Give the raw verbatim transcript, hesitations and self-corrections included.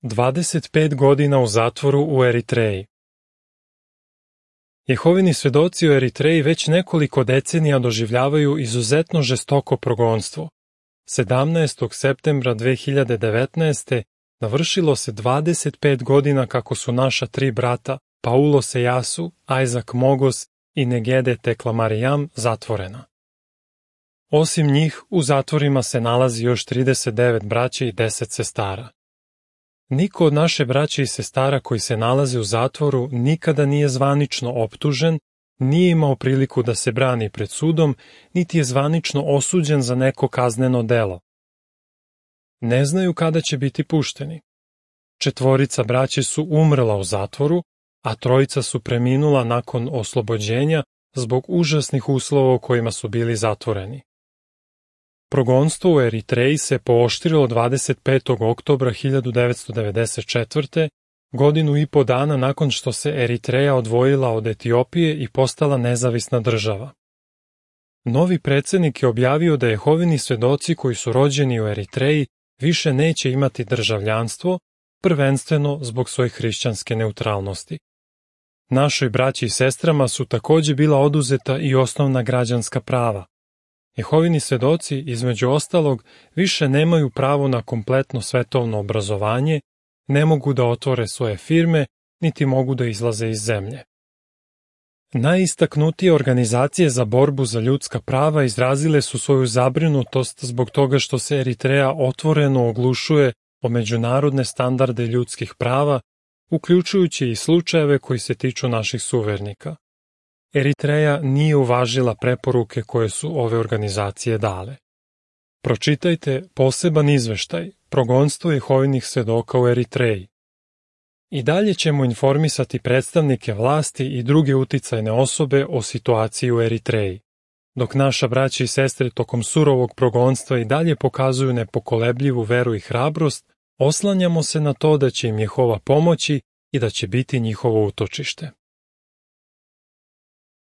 dvadeset pet godina u zatvoru u Eritreji. Jehovini svedoci u Eritreji već nekoliko decenija doživljavaju izuzetno žestoko progonstvo. sedamnaestog septembra dve hiljade devetnaeste. navršilo se dvadeset pet godina kako su naša tri brata, Paulo Sejasu, Isaac Mogos i Negede Tekla Marijam, zatvorena. Osim njih, u zatvorima se nalazi još trideset devet braće i deset sestara. Niko od naše braće i sestara koji se nalaze u zatvoru nikada nije zvanično optužen, nije imao priliku da se brani pred sudom, niti je zvanično osuđen za neko kazneno delo. Ne znaju kada će biti pušteni. Četvorica braće su umrla u zatvoru, a trojica su preminula nakon oslobođenja zbog užasnih uslova u kojima su bili zatvoreni. Progonstvo u Eritreji se pooštrilo dvadeset petog oktobra hiljadu devetsto devedeset četvrte. godinu i po dana nakon što se Eritreja odvojila od Etiopije i postala nezavisna država. Novi predsjednik je objavio da Jehovini svedoci koji su rođeni u Eritreji više neće imati državljanstvo, prvenstveno zbog svoje hrišćanske neutralnosti. Našoj braći i sestrama su također bila oduzeta i osnovna građanska prava. Jehovini svedoci, između ostalog, više nemaju pravo na kompletno svetovno obrazovanje, ne mogu da otvore svoje firme, niti mogu da izlaze iz zemlje. Najistaknutije organizacije za borbu za ljudska prava izrazile su svoju zabrinutost zbog toga što se Eritreja otvoreno oglušuje o međunarodne standarde ljudskih prava, uključujući i slučajeve koji se tiču naših suvernika. Eritreja nije uvažila preporuke koje su ove organizacije dale. Pročitajte poseban izveštaj Progonstvo Jehovinih svedoka u Eritreji. I dalje ćemo informisati predstavnike vlasti i druge uticajne osobe o situaciji u Eritreji. Dok naša braća i sestre tokom surovog progonstva i dalje pokazuju nepokolebljivu veru i hrabrost, oslanjamo se na to da će im Jehova pomoći i da će biti njihovo utočište.